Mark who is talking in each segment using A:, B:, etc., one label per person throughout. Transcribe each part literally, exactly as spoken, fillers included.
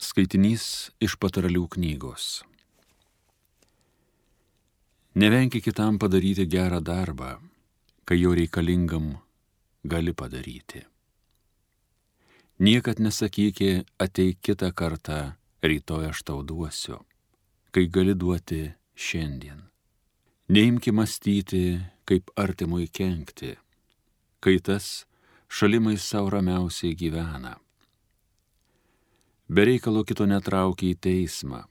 A: Skaitinys iš Patarlių knygos. Nevenki kitam padaryti gerą darbą, kai jo reikalingam gali padaryti. Niekad nesakykė, ateik kitą kartą, rytoj aš tau duosiu, kai gali duoti šiandien. Neimki mąstyti, kaip artimui kenkti, kai tas šalimai sau ramiausiai gyvena. Be reikalo kito netraukia į teismą,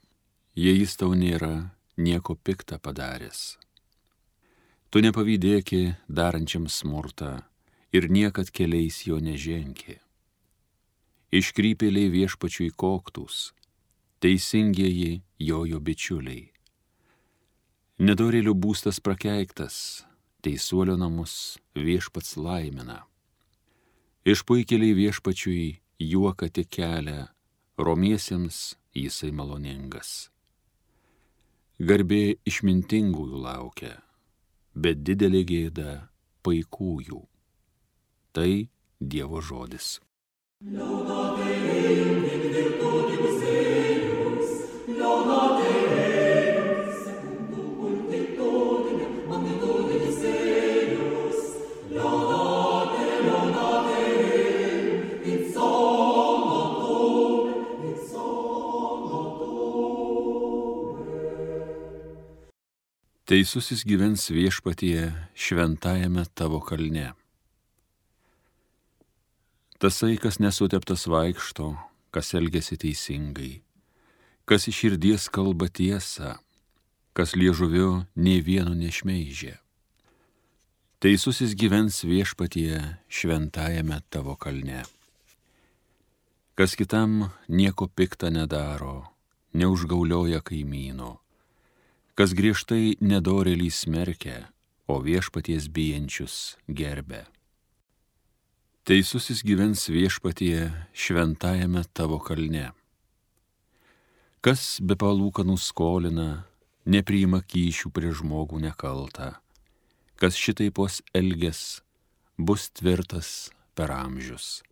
A: jei jis tau nėra nieko piktą padaręs. Tu nepavydėki darančiam smurtą ir niekad keliais jo neženki. Iškrypėliai viešpačiui koktus, teisingieji jojo bičiuliai. Nedorėlių būstas prakeiktas, teisuolio namus viešpats laimina. Išpuikėliai viešpačiui juoką tik kelia, romiesiems jisai maloningas. Garbė išmintingųjų laukia, bet didelė gėda paikųjų. Tai Dievo žodis.
B: Laudate Deum in virtutibus eius, laudate Deum secundum multitudinem magnitudibus eius, laudate, laudate Deum in solum, in solum.
A: Teisusis gyvens viešpatyje šventajame tavo kalne. Tasai, kas nesuteptas vaikšto, kas elgiasi teisingai, kas iš širdies kalba tiesą, kas liežuviu nė vieno nešmeižia. Teisusis gyvens viešpatyje šventajame tavo kalne. Kas kitam nieko pikta nedaro, neužgaulioja kaimyno, kas griežtai nedorėlį smerkia, o viešpaties bijančius gerbia. Teisusis gyvens viešpatyje šventajame tavo kalne. Kas be palūkanų skolina, nepriima kyšių prie žmogų nekaltą, kas šitaipos elges, bus tvirtas per amžius.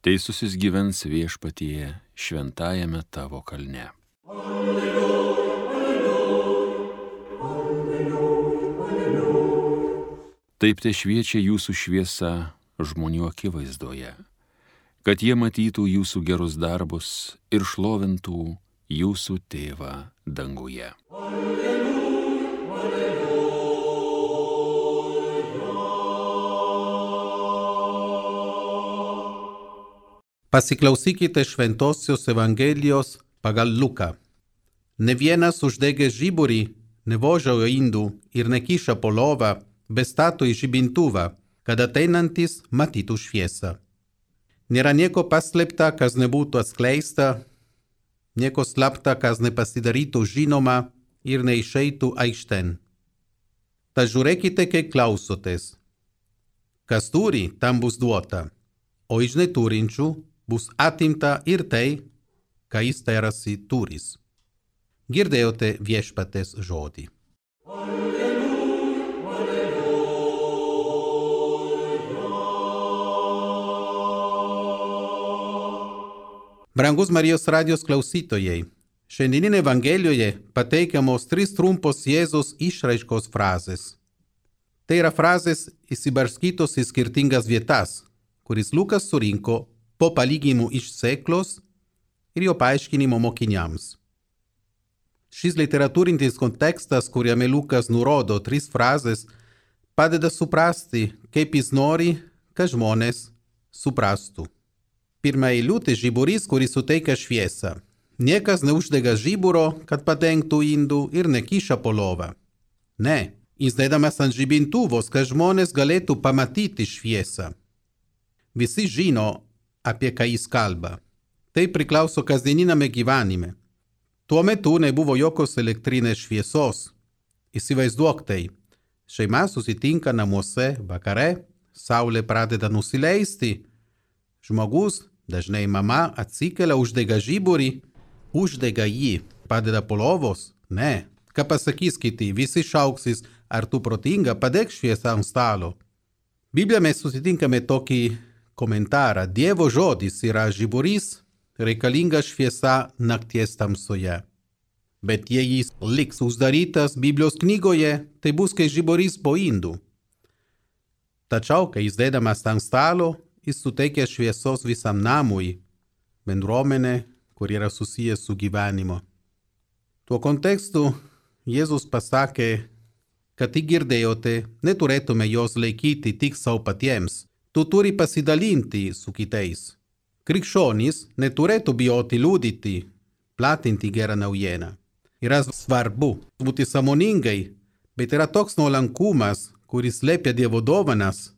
A: Teisusis gyvens viešpatyje šventajame tavo kalne.
B: Alleluja, alleluja, alleluja, alleluja.
A: Taip te šviečia jūsų šviesa žmonių akivaizdoje, kad jie matytų jūsų gerus darbus ir šlovintų jūsų tėvą danguje.
B: Alleluja, alleluja.
C: Pasiklausykite šventosios Evangelijos pagal Luką. Ne vienas uždegęs žiburį nevožiojo indų ir nekiša po lovą, bet stato į žibintuvą, kad ateinantis matytų šviesą. Nėra nieko paslėpta, kas nebūtų atskleista, nieko slapta, kas nepasidarytų žinoma ir neišeitų aikštėn. Tad žiūrėkite, kai klausotės. Kas turi, tam bus duota, o iš neturinčių bus atimta ir tai, ką jis tarasi turis. Girdėjote viešpaties žodį. Brangus Marijos radijos klausytojai, šiandieninė Evangelijoje pateikiamos trys trumpos Jėzaus išraiškos frazės. Tai yra frazės įsibarskytos į skirtingas vietas, kuris Lukas surinko po palyginimų iš Sėklos ir jo paaiškinimo mokiniams. Šis literatūrinis kontekstas, kuriame Lukas nurodo tris frazės, padeda suprasti, kaip jis nori, kad žmonės suprastų. Pirma eilutė žiburys, kuris suteikia šviesą. Niekas neuždega žiburo, kad padengtų indų ir nekiša po lovą. Ne, jis dedamas ant žibintuvos, kad žmonės galėtų pamatyti šviesą. Visi žino, apie ką jis kalba. Tai priklauso kasdieniname gyvenime. Tuo metu nebuvo jokios elektrinės šviesos. Įsivaizduok tai. Šeima susitinka namuose vakare, saulė pradeda nusileisti. Žmogus, dažnai mama, atsikelia, uždega žiburį, uždega jį, padeda po lovos. Ne, ką pasakys kiti, visi šauksis, ar tu protinga, padėk šviesą ant stalo. Biblijoje mes susitinkame tokį komentarą. Dievo žodis yra žiburys, reikalinga šviesa nakties tamsoje. Bet jei jis liks uždarytas Biblijos knygoje, tai bus kaip žiburys po indų. Tačiau, kai jis dedamas ant stalo, jis suteikia šviesos visam namui, bendruomenė, kur yra susijęs su gyvenimu. Tuo kontekstu Jėzus pasakė, kad tik girdėjote, neturėtume jos laikyti tik savo patiems. Tu turi pasidalinti su kitais. Krikščionys neturėtų bijoti liudyti, platinti gerą naujieną. Yra svarbu būti sąmoningai, bet yra toks nuolankumas, kuris slėpia Dievo dovanas,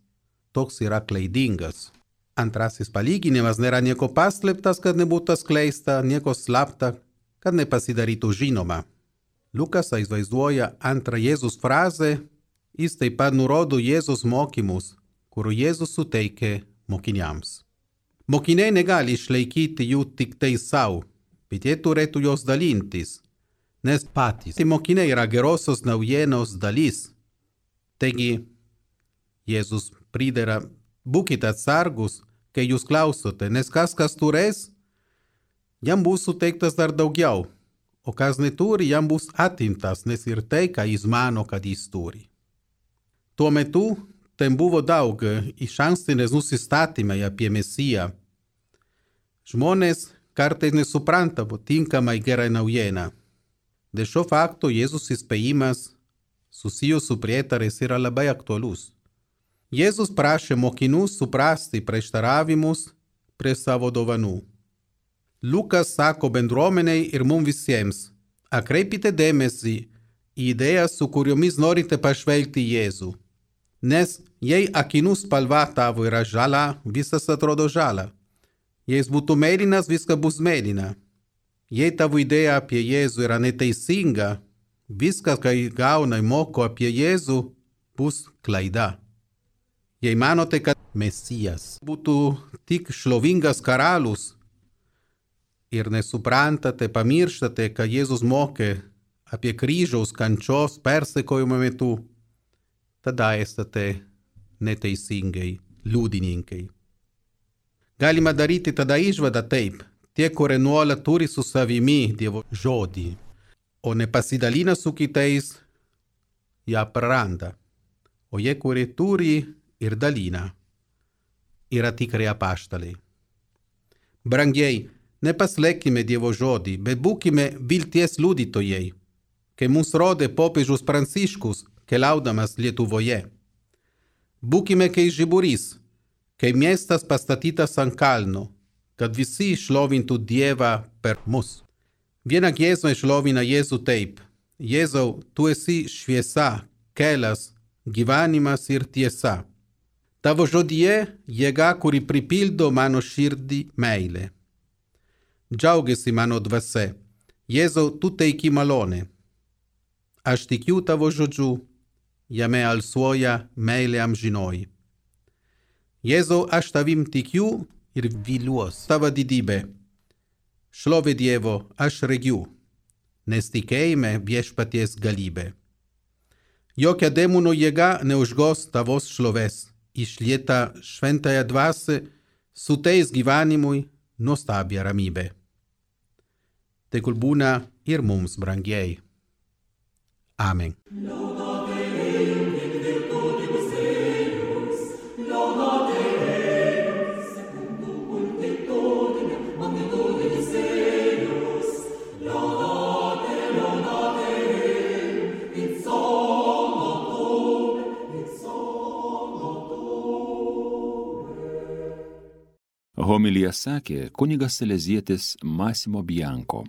C: toks yra klaidingas. Antrasis palyginimas nėra nieko paslėptas, kad nebūtų skleista, nieko slapta, kad nepasidarytų žinoma. Lukas vaizduoja antrą Jėzus frazę, jis taip pat nurodo Jėzus mokymus, kurių Jėzus suteikė mokiniams. Mokiniai negali išlaikyti jų tik tai savo, bet jie turėtų jos dalintis, nes patys mokiniai yra gerosios naujienos dalis. Taigi, Jėzus pridera, būkite atsargus, kai jūs klausote, nes kas kas turės, jam bus suteiktas dar daugiau. O kas neturi, jam bus atimtas, nes ir tai, ką jis mano, kad jis turi. Tuo metu ten buvo daug išankstinės nusistatymai apie Mesiją. Žmonės kartais nesupranta tinkamai gerą naujieną. Dėl šio fakto Jėzus įspėjimas susijęs su prietarais yra labai aktualus. Jėzus prašė mokinių suprasti prieštaravimus prie savo dovanų. Lukas sako bendruomeniai ir mums visiems, atkreipkite dėmesį į idėjas, su kuriomis norite pažvelgti Jėzų. Nes jei akinų spalva tavo yra žala, visas atrodo žala. Jei jis būtų mėlynas, viskas bus mėlyna. Jei tavo idėja apie Jėzų yra neteisinga, viskas, kai gauna moko apie Jėzų, bus klaida. Jei manote, kad Mesijas būtų tik šlovingas karalius, ir nesuprantate, pamirštate, kad Jėzus mokė apie kryžiaus kančios persekiojimo metu, tada esate neteisingai liudininkai. Galima daryti tada išvadą taip, tie, kurie nuolat turi su savimi Dievo žodį, o nepasidalina su kitais, ją praranda. O jie, kurie turi ir dalina, yra tikrai apaštalai. Brangiai, nepaslėkime Dievo žodį, bet būkime vilties liudytojai, kai mums rodė popiežius Pranciškus, keliaudamas Lietuvoje. Būkime kaip žiburys, kaip miestas pastatytas ant kalno, kad visi šlovintų Dievą per mus. Viena giesmė šlovina Jėzų taip: Jėzau, tu esi šviesa, kelias, gyvenimas ir tiesa. Tavo žodyje jėga, kuri pripildo mano širdį meilę. Džiaugiasi mano dvasia. Jėzau, tu teiki malonę. Aš tikiu tavo žodžiu, jame alsuoja meilė amžinoji. Jėzau, aš tavim tikiu ir viliuos tavo didybę. Šlovė Dievo, aš regiu, nes tikėjime viešpaties galybė. Jokia demonų jėga neužgos tavos šlovės, išlieta šventąją dvasią, suteiks gyvenimui nuostabią ramybę. Tegul būna ir mums, brangiai. Amen.
A: Homiliją sakė kunigas salezietis Massimo Bianco.